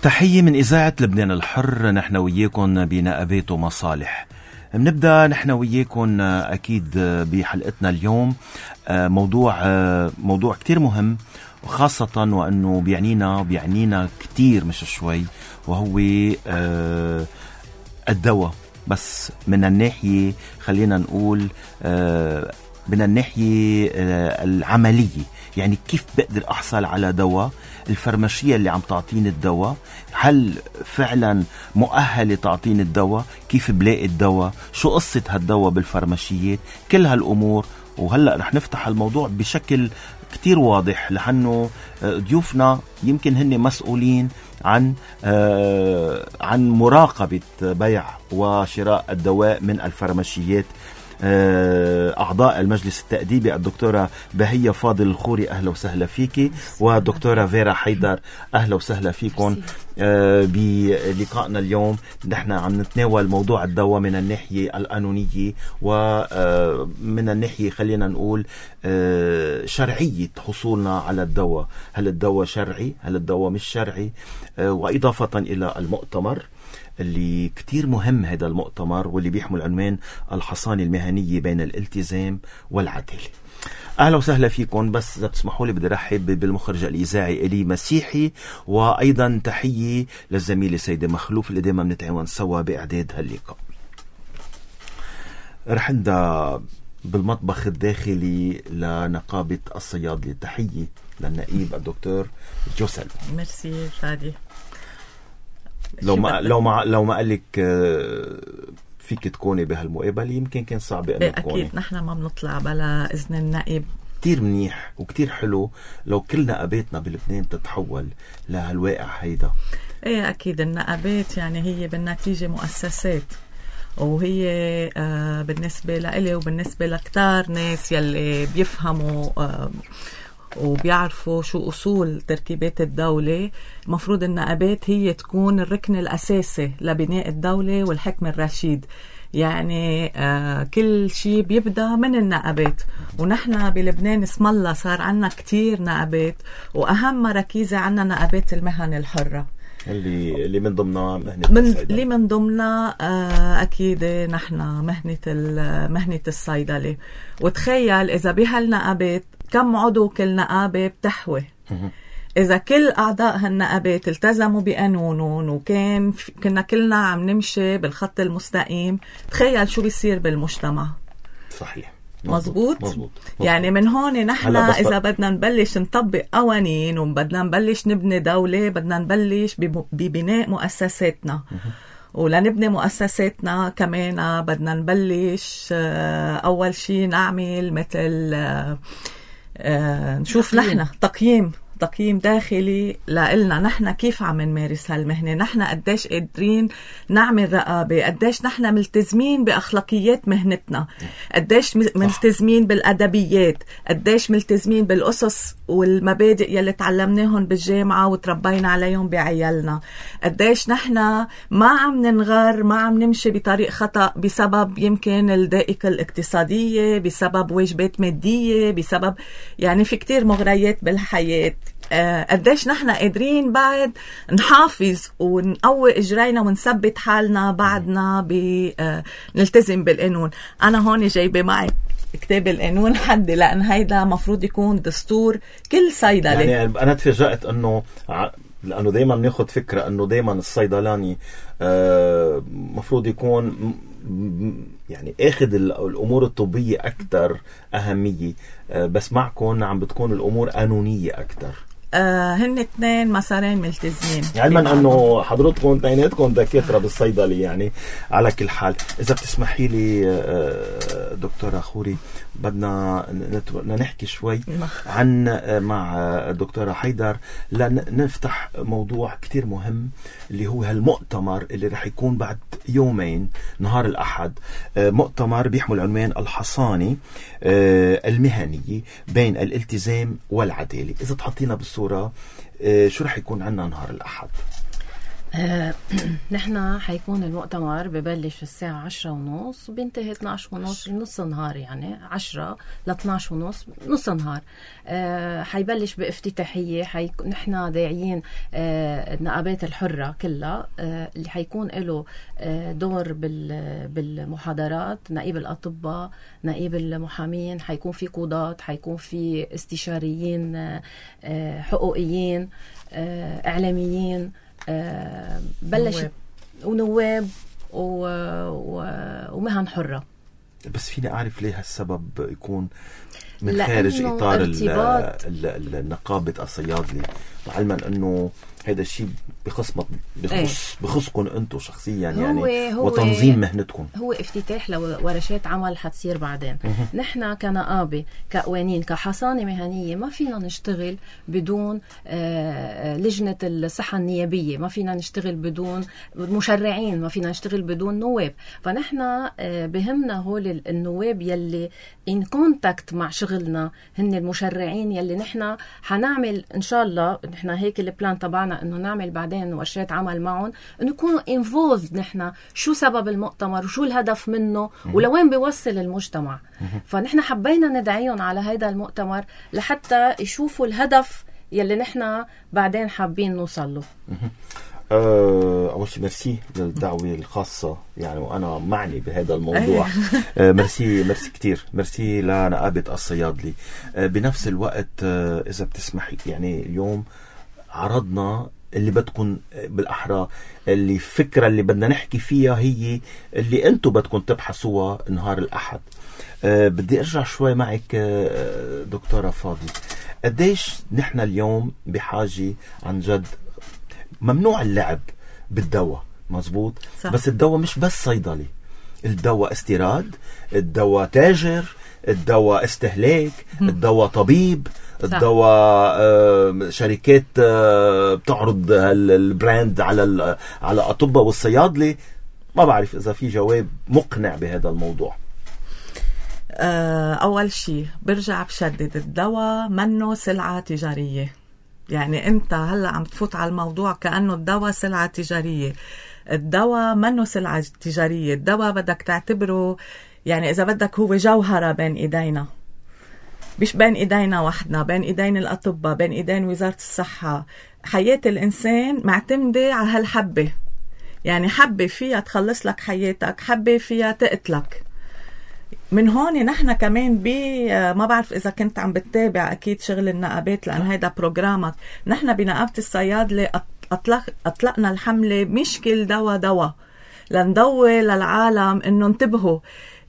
تحية من إذاعة لبنان الحر. نحن وياكم بنقابات ومصالح. بنبدأ نحن وياكم أكيد بحلقتنا اليوم موضوع كتير مهم، وخاصة وأنه بيعنينا كتير مش شوي، وهو الدواء. بس من الناحية خلينا نقول من الناحية العملية، يعني كيف بقدر أحصل على دواء؟ الفرماشية اللي عم تعطيني الدواء هل فعلا مؤهلة تعطيني الدواء؟ كيف بلاقي الدواء؟ شو قصة هالدواء بالفرماشيات؟ كل هالأمور. وهلأ رح نفتح الموضوع بشكل كتير واضح، لأنه ضيوفنا يمكن هن مسؤولين عن مراقبة بيع وشراء الدواء من الفرماشيات. أعضاء المجلس التأديبي الدكتورة بهية فاضل الخوري، أهلا وسهلا فيكي، والدكتورة فيرا حيدر، أهلا وسهلا فيكم. بلقائنا اليوم نحن عم نتناول موضوع الدواء من الناحية القانونية ومن الناحية خلينا نقول شرعية حصولنا على الدواء. هل الدواء شرعي؟ هل الدواء مش شرعي؟ وإضافة إلى المؤتمر اللي كتير مهم، هذا المؤتمر واللي بيحمل عنوان الحصانة المهنية بين الالتزام والعدالة. أهلا وسهلا فيكم. بس إذا بتسمحوا لي بدي رحب بالمخرج الإذاعي إلي مسيحي، وأيضا تحية للزميلة سيدة مخلوف اللي دائما بنتعاون سوا بإعداد هاللقاء. رح نبدأ بالمطبخ الداخلي لنقابة الصيادلة. تحية للنقيب الدكتور جوسل. ميرسي فادي. لو ما قال لك فيك تكوني بهالمقابلة يمكن كان صعب أن تكوني. أكيد نحن ما بنطلع بلا إذن النائب. كتير منيح وكتير حلو لو كل نقاباتنا بلبنان تتحول لهالواقع هيدا. ايه أكيد النقابات يعني هي بالنتيجة مؤسسات، وهي بالنسبة لإلي وبالنسبة لكتار ناس يلي بيفهموا وبيعرفوا شو أصول تركيبات الدولة. مفروض النقابات هي تكون الركن الأساسي لبناء الدولة والحكم الرشيد. يعني كل شيء بيبدأ من النقابات، ونحن بلبنان اسم الله صار عنا كتير نقابات، وأهم مراكيزة عنا نقابات المهن الحرة اللي من ضمنها اللي من ضمنها أكيد نحن مهنة الصيدلة. وتخيل إذا بهالنقابات كم عضو كل نقابة بتحوي. إذا كل أعضاء هالنقابات التزموا بقانونهم كنا كلنا عم نمشي بالخط المستقيم، تخيل شو بيصير بالمجتمع. صحيح. مزبوط. يعني من هون نحن إذا بدنا نبلش نطبق قوانين وبدنا نبلش نبني دولة، بدنا نبلش ببناء مؤسساتنا. ولنبني مؤسساتنا كمان بدنا نبلش أول شيء نعمل مثل نشوف نحن تقييم داخلي لإلنا نحن كيف عم نمارس هالمهنة، نحن قديش قادرين نعمل رقابة، قديش نحن ملتزمين بأخلاقيات مهنتنا، قديش ملتزمين بالأدبيات، قديش ملتزمين بالأسس والمبادئ يلي تعلمناهم بالجامعة وتربينا عليهم بعيالنا، قديش نحن ما عم ننغر، ما عم نمشي بطريق خطأ بسبب يمكن الضائقة الاقتصادية، بسبب واجبات مادية، بسبب يعني في كتير مغريات بالحياة. قديش نحن قادرين بعد نحافظ ونقوي إجرينا ونثبت حالنا بعدنا نلتزم بالقانون. أنا هون جايبة معي كتاب القانون حدي، لأن هيدا مفروض يكون دستور كل صيدلة. يعني أنا تفاجأت لأنه دايما بناخد فكرة أنه دايما الصيدلاني مفروض يكون يعني اخذ الامور الطبية اكتر اهمية، بس معكم عم بتكون الامور قانونية اكتر. هن اثنين مسارين ملتزمين، علما انه حضرتكم اثنيناتكم دكاترة بالصيدلة. يعني على كل حال اذا بتسمحي لي دكتورة خوري بدنا نحكي شوي مع الدكتورة حيدر لنفتح موضوع كتير مهم اللي هو هالمؤتمر اللي رح يكون بعد يومين نهار الأحد. مؤتمر بيحمل عنوان الحصانة المهنية بين الالتزام والعدالة. إذا تحطينا بالصورة شو رح يكون عنا نهار الأحد؟ نحن حيكون المؤتمر ببلش الساعة 10:30 وبينتهي 12:30 نص نهار، يعني 10 ل 12:30 نص نهار. حيبلش بافتتاحية. نحن داعيين النقابات الحرة كلها اللي حيكون له دور بالمحاضرات، نقيب الأطباء، نقيب المحامين، حيكون في قضاة، حيكون في استشاريين حقوقيين، إعلاميين، بلش ونواب ومهن حرة. بس فيني أعرف ليه هالسبب يكون من خارج إطار النقابة الصيادلة، علما أنه هذا الشيء بخصكم أنتم شخصيا يعني وتنظيم مهنتكم. هو افتتاح لورشات عمل حتصير بعدين. نحن كنقابة، كقوانين، كحصانة مهنية ما فينا نشتغل بدون لجنة الصحة النيابية، ما فينا نشتغل بدون مشرعين، ما فينا نشتغل بدون نواب. فنحن بهمنا هول النواب يلي in contact مع شغلنا، هن المشرعين يلي نحن حنعمل إن شاء الله. نحن هيك البلان تبعنا إنه نعمل بعدين ورشات عمل معهم، إنه يكونوا involved نحن شو سبب المؤتمر وشو الهدف منه ولوين بيوصل المجتمع. فنحن حبينا ندعيهم على هذا المؤتمر لحتى يشوفوا الهدف يلي نحن بعدين حابين نوصل له. أول شيء ميرسي للدعوة الخاصة، يعني وأنا معني بهذا الموضوع. ميرسي كتير، ميرسي لنقابة الصيادلة. بنفس الوقت إذا بتسمحي، يعني اليوم عرضنا اللي بدكم بالأحرى اللي فكرة اللي بدنا نحكي فيها هي اللي أنتم بدكم تبحثوها نهار الأحد. بدي أرجع شوي معك دكتورة فاضل. قديش نحن اليوم بحاجة عن جد؟ ممنوع اللعب بالدواء، مزبوط، صح. بس الدواء مش بس صيدلي، الدواء استيراد، الدواء تاجر، الدواء استهلاك، الدواء طبيب، الدواء شركات بتعرض البراند على أطباء والصيادلة. ما بعرف إذا في جواب مقنع بهذا الموضوع. أول شيء برجع بشدد، الدواء منه سلعة تجارية. يعني أنت هلأ عم تفوت على الموضوع كأنه الدواء سلعة تجارية. الدواء منه سلعة تجارية. الدواء بدك تعتبره يعني إذا بدك هو جوهرة بين إيدينا، مش بين إيدينا وحدنا، بين إيدين الأطباء، بين إيدين وزارة الصحة. حياة الإنسان معتمدة على هالحبة، يعني حبة فيها تخلص لك حياتك، حبة فيها تقتلك. من هون نحن كمان ما بعرف إذا كنت عم بتتابع أكيد شغل النقابات لأن هيدا بروجرامك. نحن بنقابة الصيادلة أطلقنا الحملة مش كل دواء لندور للعالم إنه انتبهوا،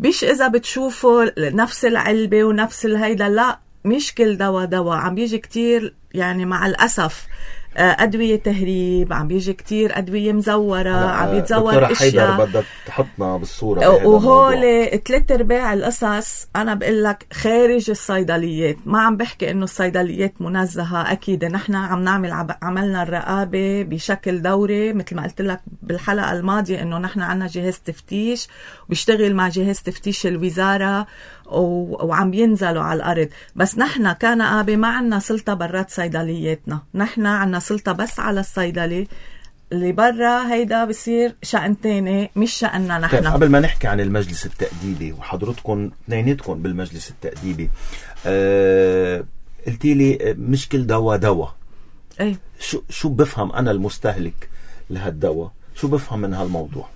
مش إذا بتشوفوا نفس العلبة ونفس الهيدا، لا، مش كل دواء عم بيجي كتير، يعني مع الأسف أدوية تهريب، عم بيجي كتير أدوية مزورة، عم بيتزور أشياء. بدك تحطنا بالصورة وهول 3/4 القصص أنا بقول لك خارج الصيدليات. ما عم بحكي إنه الصيدليات منزهة، أكيد نحن عم نعمل عملنا الرقابة بشكل دوري، مثل ما قلت لك بالحلقة الماضية إنه نحن عنا جهاز تفتيش وبيشتغل مع جهاز تفتيش الوزارة وعم ينزلوا على الأرض. بس نحن كنقابة ما عنا سلطة برات صيدلياتنا، نحن عنا سلطة بس على الصيدلي. اللي برا هيدا بصير شأن تاني مش شأننا نحن. قبل ما نحكي عن المجلس التأديبي، وحضرتكم اثنيناتكم بالمجلس التأديبي، قلتي لي مش كل دواء. أي شو بفهم أنا المستهلك لهالدواء؟ شو بفهم من هالموضوع؟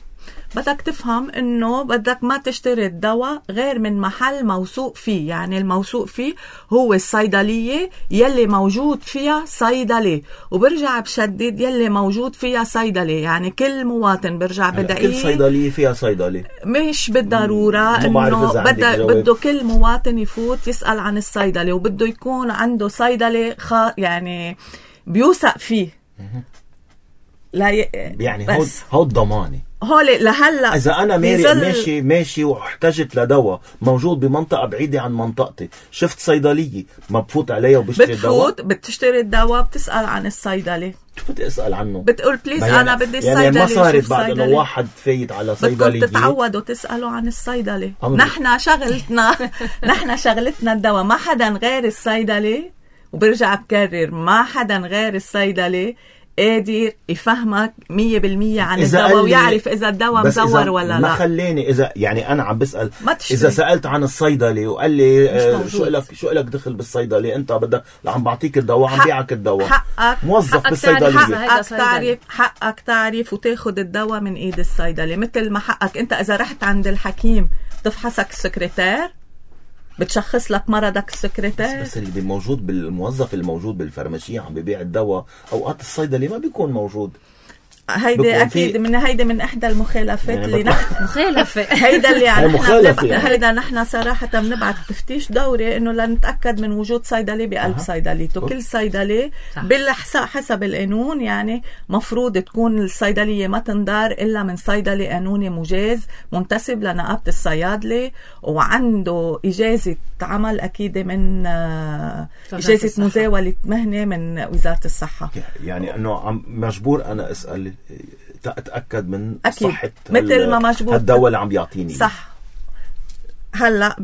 بدك تفهم انه بدك ما تشتري الدواء غير من محل موثوق فيه. يعني الموثوق فيه هو الصيدلية يلي موجود فيها صيدلي، وبرجع بشدد يلي موجود فيها صيدلي. يعني كل مواطن برجع بدعيه، كل صيدلية فيها صيدلي مش بالضرورة انه بده كل مواطن يفوت يسأل عن الصيدلي، وبده يكون عنده صيدلي يعني بيوثق فيه. لا يعني هو الضماني هولي لهلا. إذا أنا ماشي واحتجت لدواء موجود بمنطقة بعيدة عن منطقتي، شفت صيدلية، ما بفوت عليها وبشتري الدواء؟ بتشتري الدواء، بتسأل عن الصيدلي. شو بدي أسأل عنه؟ بتقول بليز أنا بدي الصيدلي. يعني ما صارت بعد إنه واحد فايت على صيدلية بدكم تتعودوا تسألوا عن الصيدلي. نحن شغلتنا الدواء. ما حدا غير الصيدلي، وبرجع بكرر ما حدا غير الصيدلي قادر يفهمك 100% عن إذا الدواء قال لي- ويعرف إذا الدواء بس مزور إذا ولا ما لا. خليني إذا يعني أنا عم بسأل ما تشتري. إذا سألت عن الصيدلي وقال لي موجود. شو إلك دخل بالصيدلي، أنت بدك عم بعطيك الدواء عم بيعك الدواء، حقك موظف حقك بالصيدلية. تعرف حقك تعرف وتاخد الدواء من ايد الصيدلي، مثل ما حقك انت اذا رحت عند الحكيم تفحصك السكرتير، بتشخص لك مرضك السكرتير. بس اللي موجود بالموظف الموجود بالفرماشية عم بيبيع الدواء، أوقات الصيدلي ما بيكون موجود. هيدي بكون اكيد هيدي من احدى المخالفات يعني اللي نحن مخالفة. هيدا اللي هي مخالفة يعني. هيدا نحن صراحة بنبعت تفتيش دوري انه لنتأكد من وجود صيدلي بقلب صيدليته. كل صيدلي حسب القانون يعني مفروض تكون الصيدلية ما تندار الا من صيدلي قانوني مجاز منتسب لنقابة الصيادلة وعنده اجازة عمل اكيد من اجازة مزاولة مهنة من وزارة الصحة. يعني انه عم مجبور انا اسال اتاكد من أكيد. صحه مثل ما مجبور الدواء اللي عم بيعطيني. صح. هلا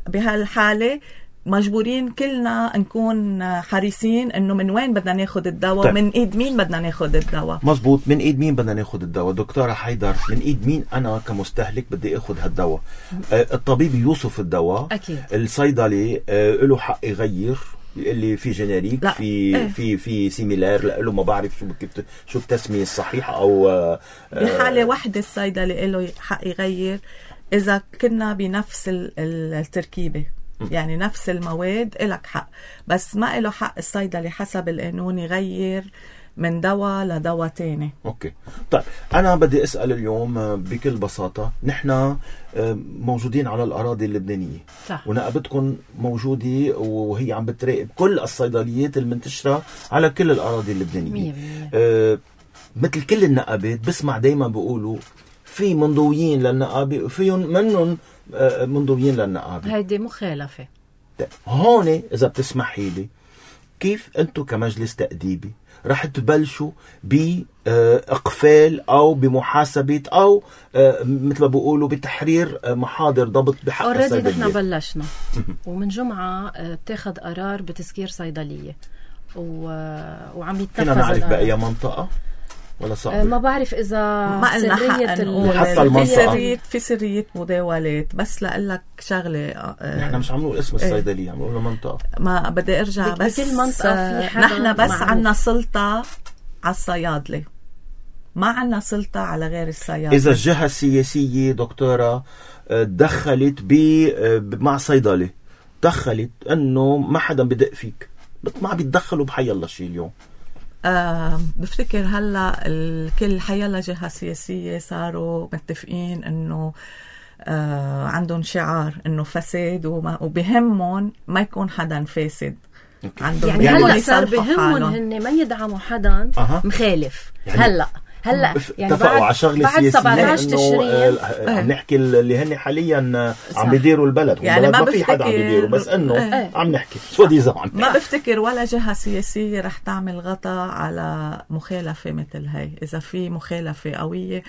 بهالحاله مجبورين كلنا نكون حريصين انه من وين بدنا ناخد الدواء. طيب. من ايد مين بدنا ناخد الدواء. مزبوط. من ايد مين بدنا ناخد الدواء دكتورة حيدر؟ من ايد مين انا كمستهلك بدي اخد هالدواء؟ الطبيب يوصف الدواء أكيد. الصيدلي له حق يغير، اللي في جينيريك في سيميلار له، ما بعرف شو التسمية الصحيحة، او بحالة واحدة الصيدلي له حق يغير اذا كنا بنفس التركيبة، يعني نفس المواد إلك حق، بس ما إله حق الصيدلي حسب القانون يغير من دواء لدواء تاني. اوكي. طيب انا بدي اسال اليوم بكل بساطه، نحن موجودين على الاراضي اللبنانيه، صح. ونقابتكم موجوده وهي عم بتراقب كل الصيدليات المنتشره على كل الاراضي اللبنانيه. مثل كل النقابات بسمع دايما بيقولوا في منضويين للنقابه وفيهم منهم منضويين للنقابه. هيدي مخالفه. هون اذا بتسمحي لي، كيف انتم كمجلس تأديبي رح تبلشوا بإقفال أو بمحاسبة أو مثل ما بيقولوا بتحرير محاضر ضبط بحق الصيدلية؟ نحن بلشنا ومن جمعة اتخذ قرار بتسكير صيدلية وعم يتنفذ. فينا نعرف بأي منطقة ولا صعب؟ ما بعرف إذا ما قلنا سرية في سرية مداولات، بس لقلك شغلة نحن مش عم نقول اسم الصيدلية، عم نقول منطقة. ما بدي ارجع بس بكل منطقة في حدا نحن بس معروف. عنا سلطة على الصيادلة، ما عنا سلطة على غير الصيادلة. إذا الجهة السياسية دكتورة دخلت مع صيدلة، دخلت انه ما حدا بدق فيك، ما بيتدخلوا بحي الله شيء اليوم. بفتكر هلا الكل حيلا جهة سياسية صاروا متفقين انه عندهم شعار انه فساد وبهمهم ما يكون حدا فاسد. يعني هلا صار بهمهم هن ما يدعموا حدا مخالف. يعني هلا يعني اتفقوا على شغله بعد 17 تشرين عم نحكي اللي هن حاليا عم بيديروا البلد، يعني ما في حدا عم بيديروا، بس انه عم نحكي شو دي زمان. ما بفتكر ولا جهة سياسية رح تعمل غطاء على مخالفة مثل هاي. اذا في مخالفة قوية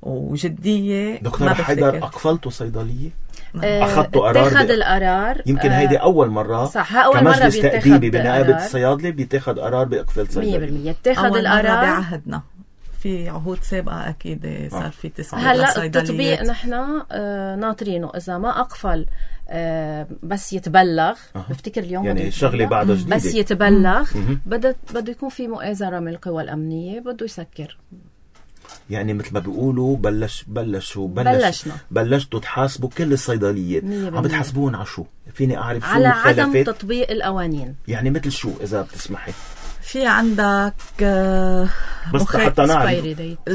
وجدية. دكتور حيدر، أقفلتوا صيدلية؟ أخذتوا قرار؟ اتخذ القرار. يمكن هيدي أول مرة. صح، أول كمجلس تأديبي بنقابة الصيادلة بيتخذ قرار بإقفال صيدلية. 100% اتخذ القرار بعهدنا. في عهود سابقة أكيد صار في تسكير. هلا التطبيق نحن ناطرينه. إذا ما أقفل بس يتبلغ، بفتكر اليوم يعني شغلة بعد جديدة، بس يتبلغ بده يكون في مؤازرة من القوى الأمنية، بده يسكر. يعني مثل ما بيقولوا بلشتوا تحاسبوا كل الصيدليات. عم بتحاسبون على شو؟ فيني أعرف شو على المخالفات؟ عدم تطبيق القوانين. يعني مثل شو إذا بتسمحي؟ في عندك بس حتى نعرف.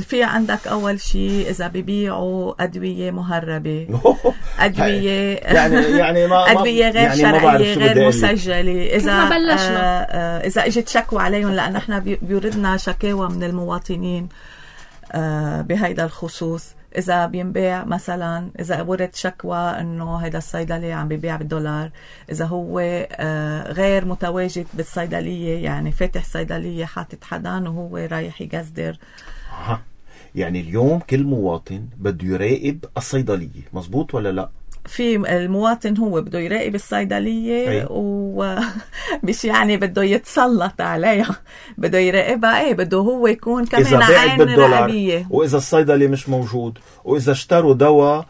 في عندك أول شيء إذا بيبيعوا أدوية مهربة، أدوية يعني ما أدوية غير يعني شرعية غير مسجلة. إذا إجت شكوى عليهم، لأن احنا بيوردنا شكاوى من المواطنين بهيدا الخصوص. إذا بينباع مثلا، إذا ورد شكوى إنه هيدا الصيدلي عم بيبيع بالدولار، إذا هو غير متواجد بالصيدلية، يعني فاتح صيدلية حاطط حدا وهو رايح يقصدر. يعني اليوم كل مواطن بده يراقب الصيدلية، مزبوط ولا لا؟ في المواطن هو بده يراقب الصيدلية ومش يعني بده يتسلط عليها، بده يراقبها. بده هو يكون كمان عين رقابية. وإذا الصيدلي مش موجود وإذا اشتروا دواء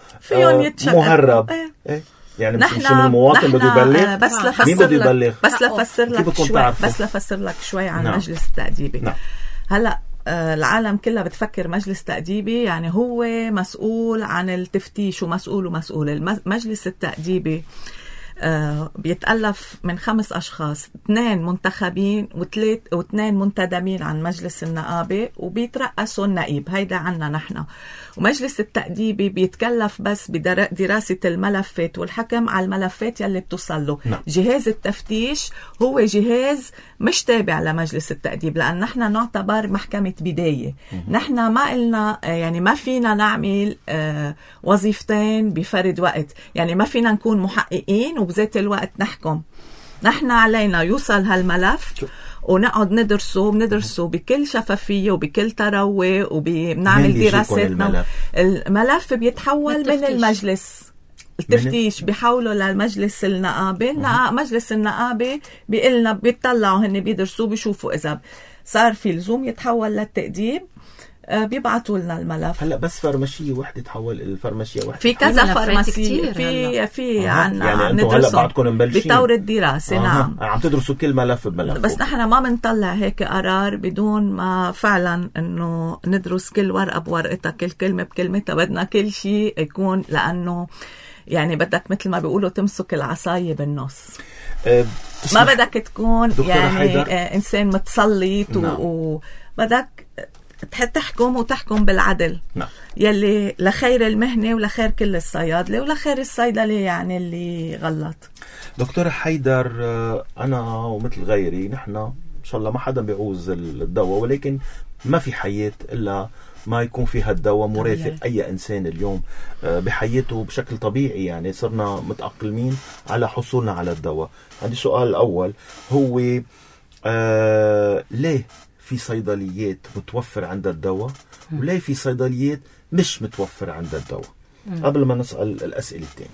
مهرب يعني مش من المواطن بده يبلغ. بس لفسر لك شوي عن مجلس التأديبي. هلأ العالم كلها بتفكر مجلس تأديبي يعني هو مسؤول عن التفتيش ومسؤول. المجلس التأديبي بيتألف من 5 أشخاص، 2 منتخبين و2 منتدبين عن مجلس النقابة وبيترأسوا النقيب. هيدا عنا نحن. ومجلس التأديبي بيتكلف بس بدراسة الملفات والحكم على الملفات يلي بتوصل له. جهاز التفتيش هو جهاز مش تابع لمجلس التأديب، لأن نحن نعتبر محكمة بداية. نحن ما قلنا يعني ما فينا نعمل وظيفتين بفرد وقت، يعني ما فينا نكون محققين وبذات الوقت نحكم. نحن علينا يوصل هالملف ونقعد ندرسه بكل شفافية وبكل تروي وبنعمل دراساتنا. الملف بيتحول من المجلس التفتيش بيحولوا للمجلس النقابي. مجلس النقابي بيقلنا بيطلعوا هن بيدرسوا بيشوفوا إذا صار في لزوم يتحول للتأديب بيبعتوا لنا الملف. هلا بس فرمشية وحدة تحول الفرمشية وحدة في كذا فرمشية في عنا يعني انتم هلا بعدكم مبلشين بطور الدراسة. نعم عم تدرسوا كل ملف بملف، بس نحن ما بنطلع هيك قرار بدون ما فعلا انه ندرس كل ورقة بورقتها، كل كلمة بكلمتها. بدنا كل شيء يكون، لأنه يعني بدك مثل ما بيقولوا تمسك العصاية بالنص. ما بدك تكون يعني إنسان متسلط وبدك تحكم بالعدل. يلي لخير المهنة ولخير كل الصيادلة ولخير الصيدلي يعني اللي غلط. دكتورة حيدر، أنا ومثل غيري نحن إن شاء الله ما حدا بيعوز الدواء، ولكن ما في حياة إلا ما يكون فيها الدواء مرافق أي إنسان اليوم بحياته بشكل طبيعي. يعني صرنا متأقلمين على حصولنا على الدواء. عندي سؤال الأول هو ليه في صيدليات متوفر عندها الدواء وليه في صيدليات مش متوفر عندها الدواء؟ قبل ما نسأل الأسئلة الثانية،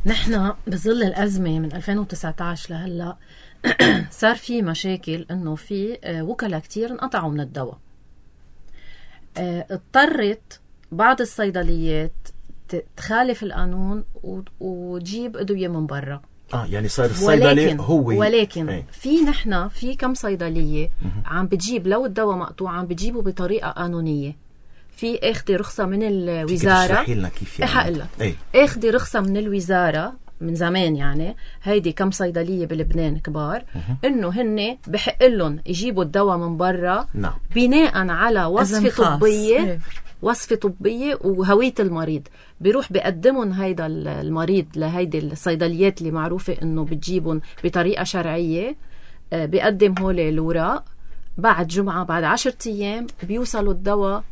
نحن بظل الأزمة من 2019 لهلأ صار في مشاكل إنه في وكلاء كتير انقطعوا من الدواء. اضطرت بعض الصيدليات تخالف القانون وتجيب أدوية من برا. يعني صار الصيدلي ولكن في نحن في كم صيدلية عم بتجيب لو الدواء مقطوع عم بتجيبه بطريقة قانونية. في اخذي رخصة من الوزارة. تشرحي لنا كيف يعني؟ حقلك اخذي رخصة من الوزارة من زمان. يعني هيدي كم صيدلية بلبنان كبار انه هن بحق لهم يجيبوا الدواء من برا بناء على وصفة طبية وهوية المريض. بيروح بيقدمون هيدا المريض لهيدي الصيدليات اللي معروفة انه بتجيبهم بطريقة شرعية. بيقدم هولي الوراق، بعد جمعة بعد 10 أيام بيوصلوا الدواء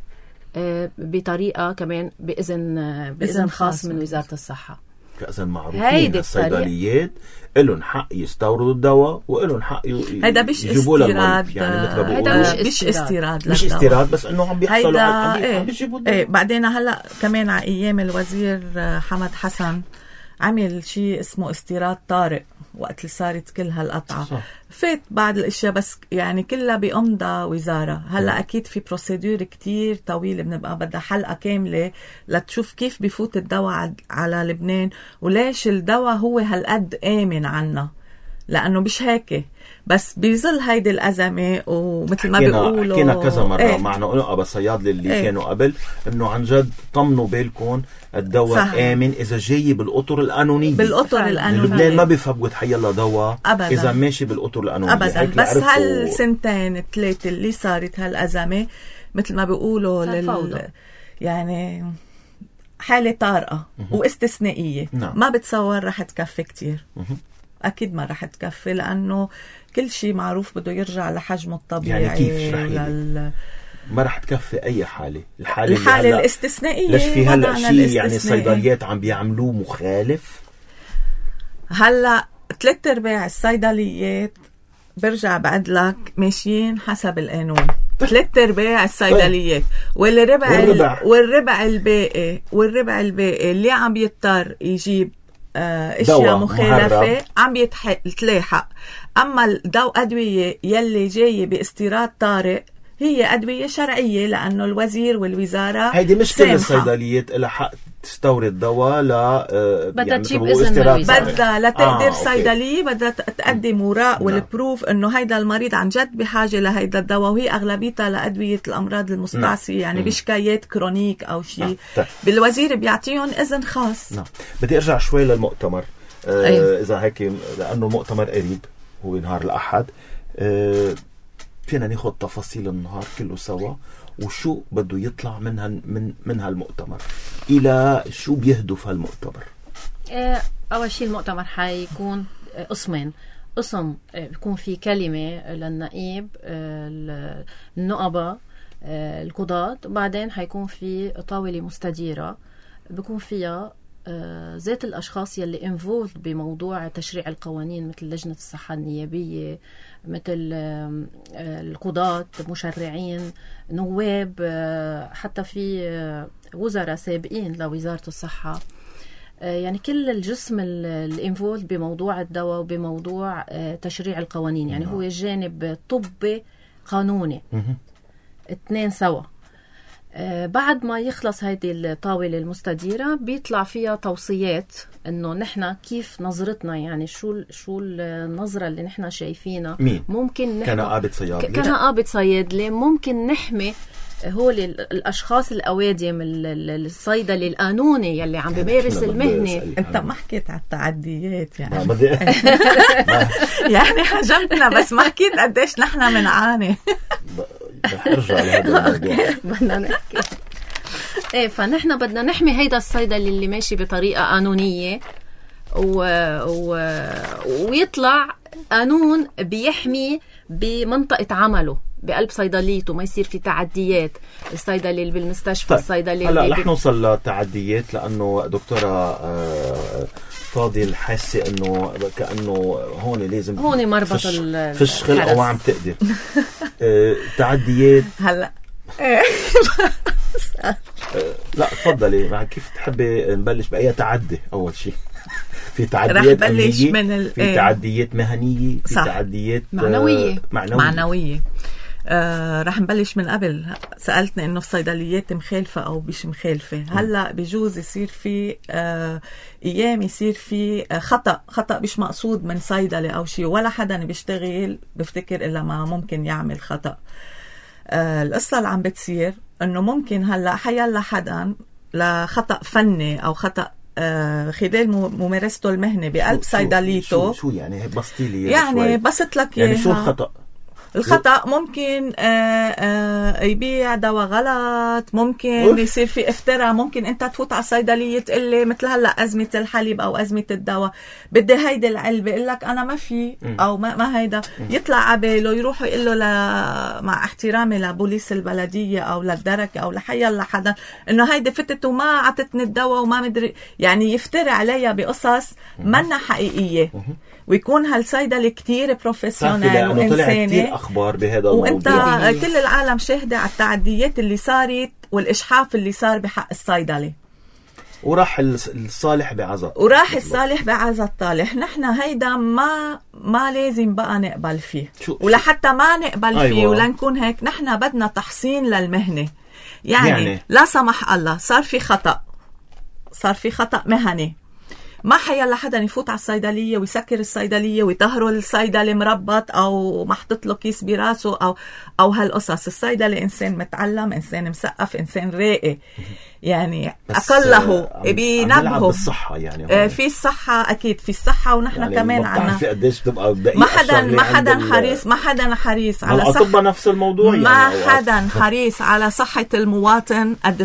بطريقة كمان بإذن خاص من وزارة الصحة. فإذا معروفين الصيدليات إلهم حق يستوردوا الدواء وإلهم حق يجيبوا للمريض. يعني مثل هيدا مش استيراد مش استيراد، بس إنه عم بيحصلوا عم بيجيبوا الدواء. بعدين هلا كمان على أيام الوزير حمد حسن عمل شيء اسمه استيراد طارئ وقت اللي صارت كل هالقطعة. فات بعض الاشياء بس يعني كلها بأمضى وزارة. هلا اكيد في بروسيدور كتير طويلة بنبقى بدها حلقة كاملة لتشوف كيف بفوت الدواء على لبنان وليش الدواء هو هالقد آمن عنا، لأنه مش هيك. بس بيظل هيدي الأزمة ومثل ما بيقولوا حكينا كذا مرة معنا نقابة الصيادلة اللي كانوا قبل إنه عن جد طمنوا بالكم الدواء آمن إذا جاي بالأطر القانونية. لبنان ما بيفوت حيلا دواء أبداً إذا ماشي بالأطر القانونية أبداً. بس هالسنتين 3 اللي صارت هالأزمة مثل ما بيقولوا يعني حالة طارئة واستثنائية. نعم. ما بتصور رح تكفي كتير. أكيد ما رح تكفي لأنه كل شيء معروف بده يرجع لحجمه الطبيعي. يعني كيف ما رح تكفي أي حالة؟ الحالة الاستثنائية. ليش في هلأ شيء يعني الصيدليات عم بيعملوه مخالف؟ هلأ 3/4 الصيدليات برجع بعد لك ماشيين حسب القانون. 3/4 الصيدليات. والربع الباقي اللي عم يضطر يجيب اشياء مخالفة عم يتلاحق. اما الأدوية يلي جاية باستيراد طارئ هي أدوية شرعية، لأنه الوزير والوزارة هيدي مش كل الصيدليات لها حق تستورد دواء بدها تجيب إذن بدها لتقدر صيدلية بدها تقدم وراء والبروف إنه هيدا المريض عن جد بحاجة لهيدا الدواء، وهي أغلبيتها لأدوية الأمراض المستعصية يعني بشكايات كرونيك أو شيء. بالوزير بيعطيهم إذن خاص. بدي أرجع شوي للمؤتمر. إذا هيك لأنه المؤتمر قريب هو نهار الأحد، فينا ناخد تفاصيل النهار كله سوا وشو بده يطلع من هالمؤتمر، إلى شو بيهدف هالمؤتمر. أول شيء المؤتمر حيكون قسمين. قسم بيكون في كلمة للنقيب النقبة القضاة، وبعدين حيكون في طاولة مستديرة بيكون فيها ذات الأشخاص يلي انفولد بموضوع تشريع القوانين، مثل لجنة الصحة النيابية، مثل القضاة، مشرعين، نواب، حتى في وزراء سابقين لوزارة الصحة. يعني كل الجسم الانفولد بموضوع الدواء وبموضوع تشريع القوانين. يعني هو جانب طبي قانوني، 2 سوا. بعد ما يخلص هيدي الطاولة المستديرة بيطلع فيها توصيات انه نحن كيف نظرتنا، يعني شو النظرة اللي نحن شايفينها. ممكن كنقابة صيادلة ممكن نحمي هول الاشخاص الأوادم، الصيدلي القانوني يلي عم بيمارس المهنة. انت ما حكيت على التعديات يعني يعني هجمتنا بس ما حكيت قديش نحن منعاني. ارجع لهذا الموضوع. بدنا نحكي فنحن بدنا نحمي هيدا الصيدلي اللي ماشي بطريقة قانونية ويطلع قانون بيحمي بمنطقة عمله بقلب صيدليته، ما يصير في تعديات. الصيدلي اللي بالمستشفى، الصيدلي هلا رح نوصل للتعديات، لأنه دكتورة فاضل حاسة انه كأنه هون لازم هون مربط فش خلقه وعم تقدر تعديات. هلا لا تفضلي، كيف تحبي نبلش بأي تعدي؟ أول شيء في تعديات أمنية، في تعديات مهنية، في تعديات معنوية. رح نبلش من قبل. سألتني انه الصيدليات مخالفة او مش مخالفة. هلا بجوز يصير في ايام يصير في خطأ مش مقصود من صيدلي او شيء، ولا حدا بيشتغل بفتكر الا ما ممكن يعمل خطأ. القصة اللي عم بتصير انه ممكن هلا حيلا حدا لخطأ فني او خطأ خلال ممارسته المهنة بقلب صيدليته. شو يعني بسطيلي؟ يعني بسط لك يعني شو الخطأ؟ ممكن يبيع دواء غلط، ممكن يصير في افتراء، ممكن انت تفوت على الصيدلية تقلي مثل هلا أزمة الحليب او أزمة الدواء، بدي هيدي العلبة، يقول لك انا ما في او ما هيدا، يطلع عباله يروحوا يقول له مع احترامي لبوليس البلدية او للدرك او لحيا حدا انه هيدي فتت وما عطتني الدواء وما مدري، يعني يفتري عليها بقصص منا حقيقية. ويكون هالصيدلي كتير بروفيسيونال وإنساني. كتير أخبار بهذا الموضوع، وانت كل العالم شاهدة على التعديات اللي صارت والإشحاف اللي صار بحق الصيدلي. وراح الصالح بعزة الطالح. نحن هيدا ما لازم بقى نقبل فيه، ولحتى ما نقبل فيه ولنكون هيك، نحن بدنا تحصين للمهنة. يعني لا سمح الله صار في خطأ مهني، ما حيلا حدا يفوت على الصيدلية ويسكر الصيدلية ويطهروا الصيدلي مربط أو محطط له كيس براسه أو هالقصص. الصيدلي إنسان متعلم، إنسان مثقف، إنسان راقي، يعني أقله بينبهه بالصحة. يعني في الصحة أكيد، في الصحة، ونحن يعني كمان عنا ما حدا حريص على صحة نفس الموضوع. ما حدا حريص على صحة المواطن قد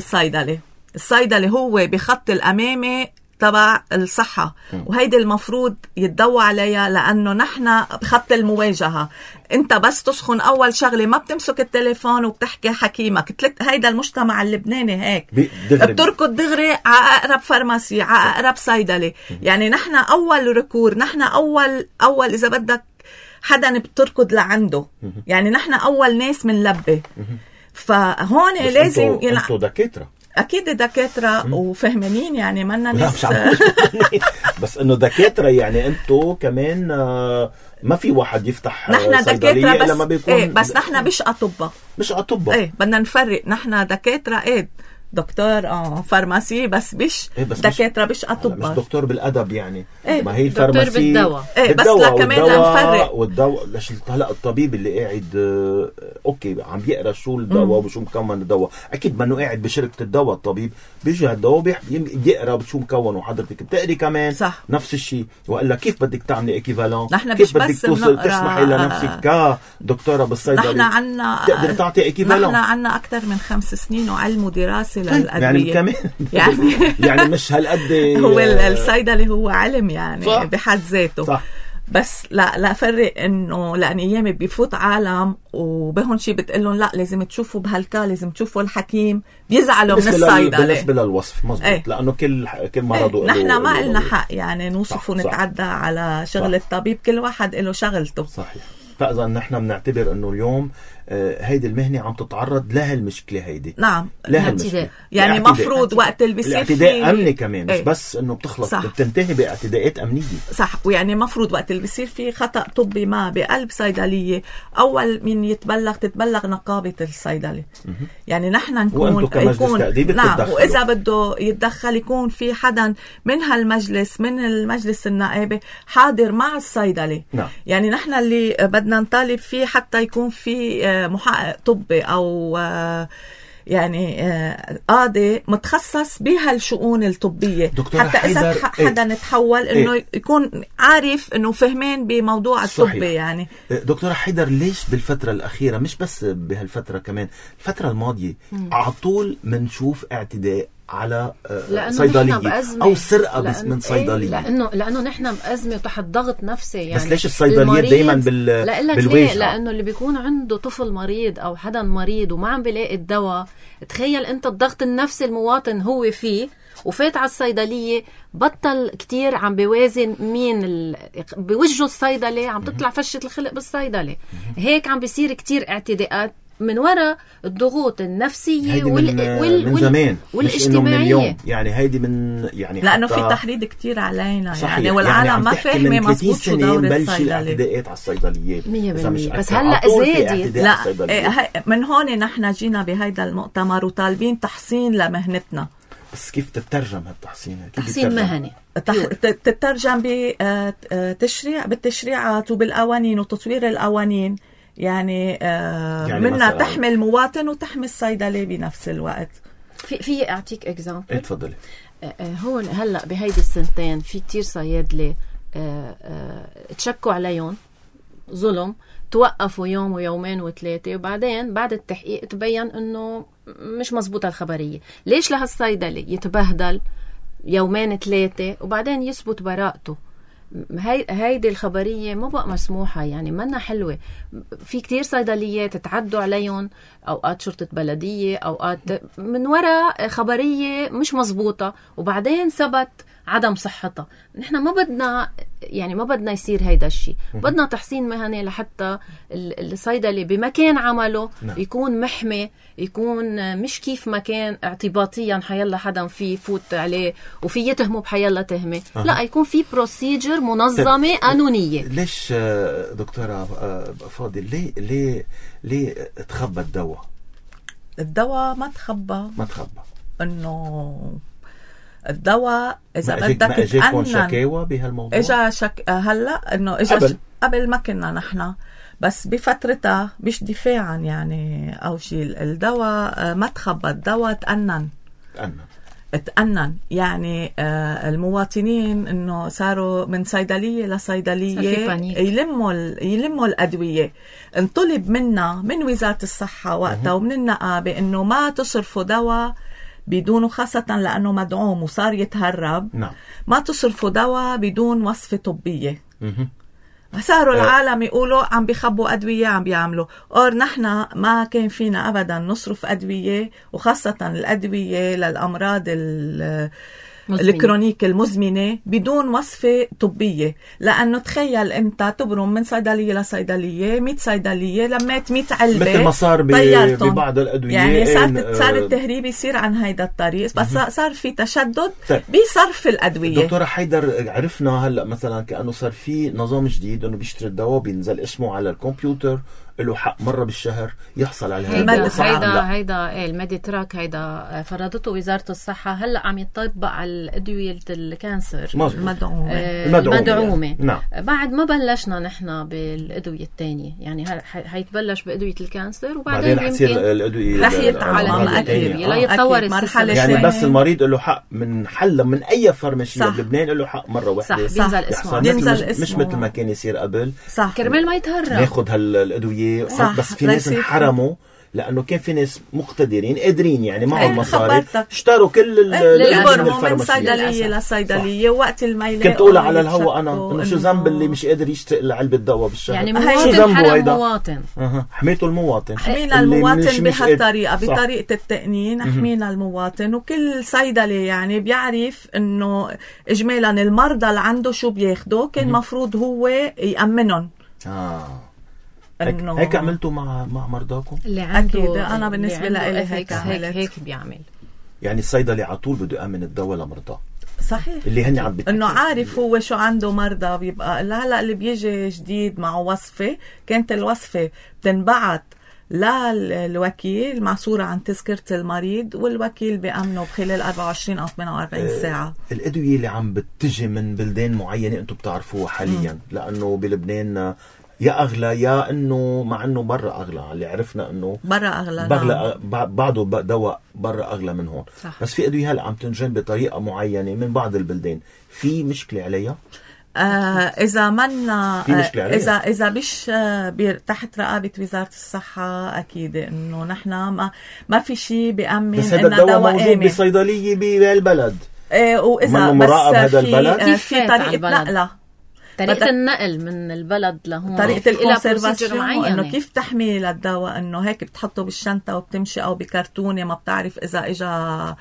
الصيدلي هو بخط الأمامي تبع الصحة، وهيدي المفروض يتدوى عليها، لأنه نحن بخط المواجهة. انت بس تسخن أول شغلة ما بتمسك التليفون وبتحكي حكيمك. هيدا المجتمع اللبناني هيك بتركض دغري على أقرب فارماسي، على أقرب صيدلي. يعني نحن أول ركور، نحن أول إذا بدك حدا بتركض لعنده. يعني نحن أول ناس منلبي. فهون لازم انتو دكاترة، أكيد دكاترة وفهمانين، يعني منا ناس بس إنه دكاترة يعني أنتو كمان ما في واحد يفتح نحن صيدلية دكاترة إلا ما بيكون بس نحن مش أطباء. مش أطباء. بدنا نفرق، نحن دكاترة دكتور فارماسي بس مش دكاترة مش أطباء. مش دكتور بالأدب يعني. ما هي الفارماسي دكتور بالدواء. بس لا كمان لنفرق. والدواء ليش هلا الطبيب اللي قاعد اوكي عم بيقرا شو الدواء وشو مكون الدواء، اكيد منه قاعد بشركة الدواء. الطبيب بيجي هالدواء بيقرا شو مكون، وحضرتك بتقري كمان صح. نفس الشيء. وقال لك كيف بدك تعملي ايكيفالون، كيف بدك توصل تسمحي لنفسك كدكتورة بالصيدلة نحن عنا تقدر تعطي ايكيفالون. نحن عنا أكثر من 5 سنين وعلم ودراسة للأدوية يعني مش هالقد هو الصيدلي هو علم يعني صح. بحد ذاته صح. بس لا فرق انه لان ايامي بيفوت عالم وبهون شيء بتقلهم لا لازم تشوفوا لازم تشوفوا الحكيم، بيزعلوا من الصيدلي بالنسبه للوصف مزبوط. لانه كل مرض نحن ما لنا حق يعني نوصف ونتعدى على شغل الطبيب، كل واحد له شغلته. صحيح. فاذا نحن بنعتبر انه اليوم هيدي المهنة عم تتعرض لها المشكلة هيدي. نعم. الاعتداء. يعني مفروض وقت اللي بيصير الاعتداء أمني كمان، مش بس انه بتخلص بتنتهي باعتداءات أمنية. صح. ويعني مفروض وقت اللي بيصير في خطأ طبي ما بقلب صيدلية، أول من تتبلغ نقابة الصيدلة. يعني نحن نكون نعم، وإذا بده يتدخل يكون في حدا من هالمجلس، من المجلس النائبي حاضر مع الصيدلة. نعم. يعني نحن اللي بدنا نطالب فيه حتى يكون في محقق طبي أو يعني قاضي متخصص بهالشؤون الطبية، حتى إذا حدا نتحول إنه يكون عارف إنه فهمين بموضوع الطبي. يعني دكتورة حيدر، ليش بالفترة الأخيرة مش بس بهالفترة كمان الفترة الماضية على طول منشوف اعتداء على صيدلية أو سرقة من صيدلية؟ لأنه نحن بأزمة وتحت ضغط نفسي. يعني بس ليش الصيدليات دايما بالواجهة؟ لأنه اللي بيكون عنده طفل مريض أو حدا مريض وما عم بيلاقي الدواء، تخيل أنت الضغط النفسي المواطن هو فيه وفات على الصيدلية، بطل كتير عم بيوازن مين بوجه الصيدلة، عم تطلع فشة الخلق بالصيدلة. هيك عم بيصير كتير اعتداءات من وراء الضغوط النفسية من زمان والاجتماعية. من اليوم. يعني هيدي يعني لأنه في تحريض كتير علينا يعني، والعالم يعني ما فاهمة مزبوط شو دور الصيدلي. الاعتداءات على الصيدليات 100%. بس هلأ زادت. لا من هون نحن جينا بهيدا المؤتمر وطالبين تحسين لمهنتنا. بس كيف تترجم هالتحسين؟ تحسين مهني تترجم بالتشريعات وبالقوانين وتطوير القوانين. يعني منا تحمي المواطن وتحمي الصيدلة بنفس الوقت. في أعطيك إكزامبل. تفضلي. هون هلأ بهيدي السنتين في كتير صيادلة تشكوا عليهم ظلم، توقفوا يوم ويومين وثلاثة، وبعدين بعد التحقيق تبين إنه مش مزبوطة الخبرية. ليش لهالصيدلة يتبهدل يومين ثلاثة وبعدين يثبت براءته؟ هيدي الخبرية ما بقى مسموحة، يعني منا حلوة. في كتير صيدليات تعدوا عليهم، أوقات شرطة بلدية، أوقات من وراء خبرية مش مزبوطة وبعدين ثبت عدم صحتها. نحن ما بدنا يصير هيدا الشيء. بدنا تحسين مهني لحتى الصيدلي بمكان عمله يكون محمي، يكون مش كيف مكان اعتباطيا حيلا حدا فيه فوت عليه وفي يتهمه بحيلا تهمة. لا، يكون في بروسيجر منظمة قانونية. ليش دكتورة فاضل ليه تخبى الدواء ما تخبى انه الدواء إذا بدك تتأنن. شكاوى بهالموضوع؟ هلأ إنه قبل ما كنا نحن، بس بفترتها مش دفاعا يعني أو شيء. الدواء ما تخبى، الدواء تأنن. يعني المواطنين إنه صاروا من صيدلية لصيدلية يلموا الأدوية. انطلب منا من وزارة الصحة وقتها ومن النقابة إنه ما تصرفوا دواء بدونه، خاصة لأنه مدعوم وصار يتهرب. نعم. ما تصرفوا دواء بدون وصفة طبية. صاروا العالم يقولوا عم بيخبوا أدوية، عم بيعملوا نحن ما كان فينا أبدا نصرف أدوية، وخاصة الأدوية للأمراض الكرونيك المزمنة بدون وصفة طبية. لأنه تخيل أنت تبرم من صيدلية لصيدلية 100 صيدلية لميت 100 علبة مثل ما صار ببعض الأدوية. يعني صار التهريب يصير عن هيدا الطريق، بس صار في تشدد بصرف الأدوية. دكتورة حيدر، عرفنا هلأ مثلا كأنه صار في نظام جديد أنه بيشتري الدواء بينزل اسمه على الكمبيوتر، له حق مرة بالشهر يحصل على هيدا الميديتراك هيدا فرضته وزارة الصحة. هلأ عم يطبق على الأدوية الكانسر المدعومة. نعم. بعد ما بلشنا نحن بالأدوية الثانية، يعني هيتبلش بأدوية الكانسر وبعدين حتصير الأدوية رح يتعلم لا يتطور مرحلة يعني بس المريض له حق من حل من أي فارماسية بلبنان له حق مرة واحدة. صح. بينزل اسمه مش مثل ما كان يصير قبل. صح. كرمال ما يتهرب ناخد هالأدوية. بس في ناس انحرموا لأنه كان في ناس مقتدرين قادرين يعني معهم مصاري اشتروا كل الأدوية من صيدلية لصيدلية. وقت الميلاد كنت أقول على الهوا أنا إنه شو ذنب اللي مش قادر يشتري علبة دواء بالشهر؟ يعني مواطن حرم مواطن. حميته المواطن. حمينا المواطن بهالطريقة، بطريقة التقنين حمينا المواطن. وكل صيدلي يعني بيعرف إنه إجمالا المرضى اللي عنده شو بياخدوا كان مفروض هو يأمنهم. هيك عملتوا مع مرضاكم؟ اللي عنده أكيد. أنا بالنسبة لي هيك بيعمل. يعني الصيدلي على طول بده يأمن الدواء لمرضاه. صحيح. اللي هن عم انه عارف هو شو عنده مرضى. بيبقى هلا اللي بيجي جديد معه وصفة، كانت الوصفة بتنبعت للوكيل مع صورة عن تذكرة المريض، والوكيل بيأمنه بخلال 24 أو 48 ساعة. الأدوية اللي عم بتجي من بلدان معينة أنتم بتعرفوها حاليا، لأنه بلبنان يا أغلى يا إنه مع إنه برا أغلى. اللي عرفنا إنه برا أغلى. بعضه دواء برا أغلى من هون. صح. بس في أدوية هلا عم تنجن بطريقة معينة من بعض البلدان. في مشكلة عليها؟ إذا منا إذا مش تحت رقابة وزارة الصحة، أكيد إنه نحن ما في شيء بيأمن. بس هذا الدواء موجود بصيدلية بالبلد. وإذا بس هذا البلد في طريقة نقلة، طريقة النقل من البلد لهون، طريقة الكونسيرفاسيون، انه كيف تحمي للدواء، انه هيك بتحطه بالشنطة وبتمشي او بكرتونة، ما بتعرف اذا اجا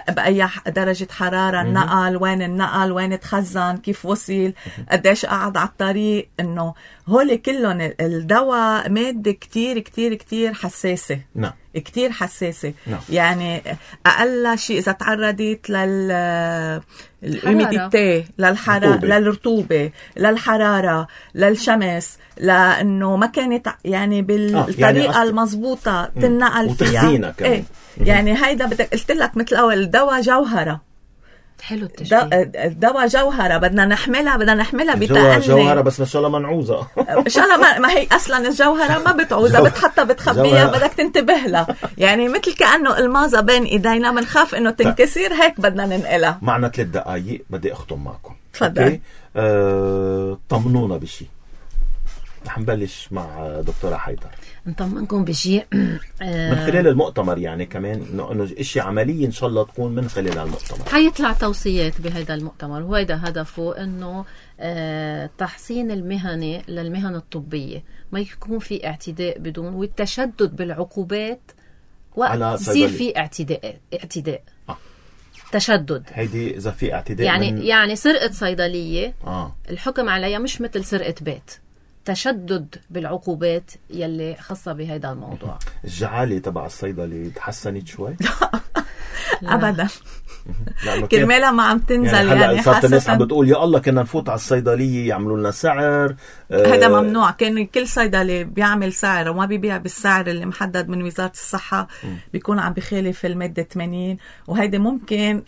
بأي درجة حرارة النقل، وين النقل، وين تخزن، كيف وصل، قديش قعد على الطريق. انه هول كلهم الدواء مادة كتير كتير كتير حساسة. نعم. كتير حساسة. نعم. يعني أقل شيء إذا تعرضت للهيوميديتي، للرطوبة، للحرارة، للشمس، لأنه ما كانت يعني بالطريقة يعني المضبوطة تنقل فيها. إيه؟ يعني هيدا قلت لك مثل أول الدواء جوهرة. حلو التشبيه. الدواء جوهرة، بدنا نحملها بتأني. جوهرة بس ما شاء الله منعوزة. إن شاء الله ما هي أصلا الجوهرة ما بتعوزها، بتحطها بتخبيها، بدك تنتبه لها. يعني مثل كأنه المازة بين إيدينا، بنخاف إنه تنكسر، هيك بدنا ننقلها. معنا 3 دقايق بدي أختم معكم. تفضل. طمنونا بشي. رح نبلش مع دكتورة حيدر. نطمنكم بشيء من خلال المؤتمر، يعني كمان انه اشياء عمليه ان شاء الله تكون من خلال المؤتمر. حيطلع توصيات بهذا المؤتمر، وهذا هدفه انه تحسين المهنه للمهن الطبيه، ما يكون في اعتداء بدون، والتشدد بالعقوبات وقت يصير في اعتداء. تشدد. هيدي اذا في اعتداء يعني سرقه صيدليه الحكم عليها مش مثل سرقه بيت. تشدد بالعقوبات يلي خاصة بهذا الموضوع. الجعالة تبع الصيدلي تحسنت شوي؟ أبدا. كرمالها ما عم تنزل. يعني صارت الناس عم بتقول يا الله كنا نفوت على الصيدلية يعملوا لنا سعر. هذا ممنوع. كان كل صيدلي بيعمل سعر وما بيبيع بالسعر اللي محدد من وزارة الصحة، بيكون عم بخالف المادة 80. وهيدا ممكن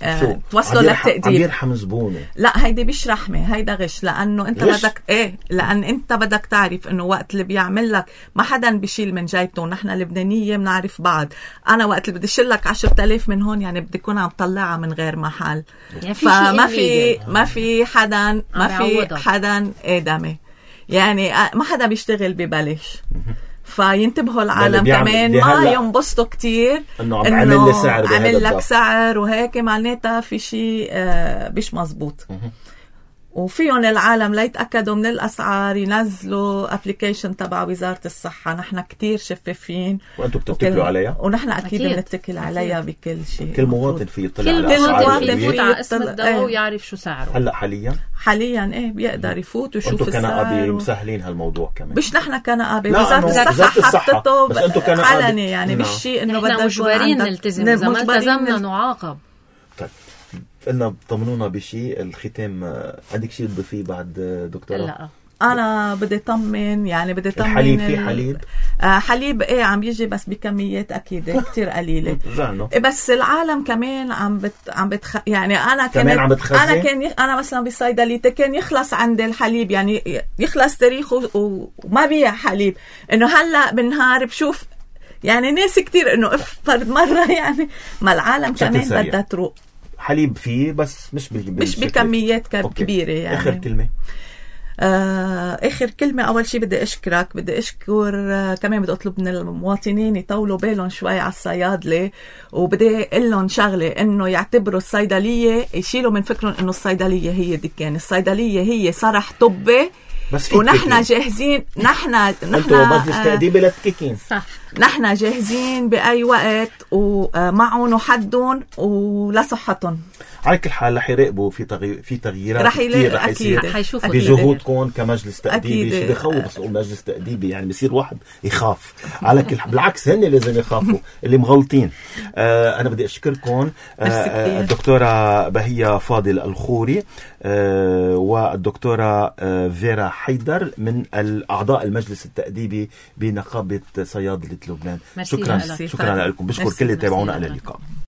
توصله للتقدير. عم يرحم زبونه. لا، هيدي مش رحمة، هيدا غش. لأنه أنت بدك لأن أنت بدك تعرف إنه وقت اللي بيعمل لك ما حدا بيشيل من جيبته. نحن اللبنانية بنعرف بعض. أنا وقت اللي بدي شيل لك 10,000 من هون، يعني بدي يكون عم طلعها من غير محل. يعني ما في حدا آدمي. يعني ما حدا بيشتغل ببلاش. فينتبهوا العالم كمان ما ينبسطوا كتير انه عمل لي سعر، عمل لك سعر وهيك، معناتها في شيء مش مزبوط. وفيهم العالم ليتأكدوا من الأسعار ينزلوا ابليكيشن تبع وزارة الصحة. نحن كتير شفافين وأنتم بتتكلوا عليها، ونحن أكيد بنتكل عليها بكل شيء. كل مواطن في يطلع كل على مواطن أسعار يفوت على اسم الدواء ويعرف شو سعره. هلا حاليا إيه بيقدر يفوت ويشوف أنتم السعر. كنقابة مسهلين هالموضوع كمان. مش نحن كنقابة، وزارة الصحة حطته علني يعني مش شيء إنه بدنا مجبرين نلتزم، إذا ما التزمنا نعاقب. طيب قلنا طمنونا بشيء الختام. عندك شيء تضيفيه بعد دكتورة؟ لا أنا بدي طمن، يعني بدي طمن الحليب. في حليب حليب إيه عم يجي بس بكميات أكيد كتير قليلة. بس العالم كمان عم يعني أنا أنا مثلا بصيدليتي كان يخلص عند الحليب، يعني يخلص تاريخه وما بيع حليب. إنه هلا بالنهار بشوف يعني ناس كتير إنه فرد مرة يعني ما العالم كمان بدها تروق. حليب فيه بس مش بكميات كبيرة يعني. آخر كلمة. آخر كلمة، أول شيء بدي أشكرك، بدي أشكر كمان بدي أطلب من المواطنين يطولوا بالهم شوي على الصيادلة، وبدي أقول لهم شغلة إنه يعتبروا الصيدلية، يشيلوا من فكرهم إنه الصيدلية هي دكان. الصيدلية هي صرح طبي، ونحن جاهزين. نحن انتوا مجلس تأديب للتككين، صح. نحن جاهزين بأي وقت ومعهم وحدهم ولصحتهم. على كل حال رح يراقبوا في تغييرات كثير رح يصير بجهودكم كمجلس تأديبي. شيء بخوف بس أقول مجلس تأديبي يعني بصير واحد يخاف. على كل حال بالعكس هن لازم يخافوا اللي مغلطين. أنا بدي أشكركم الدكتورة بهية فاضل الخوري والدكتورة فيرا حيدر من الأعضاء المجلس التأديبي بنقابة صيادلة لبنان. شكرا لكم. بشكر كل اللي تابعونا. على اللقاء.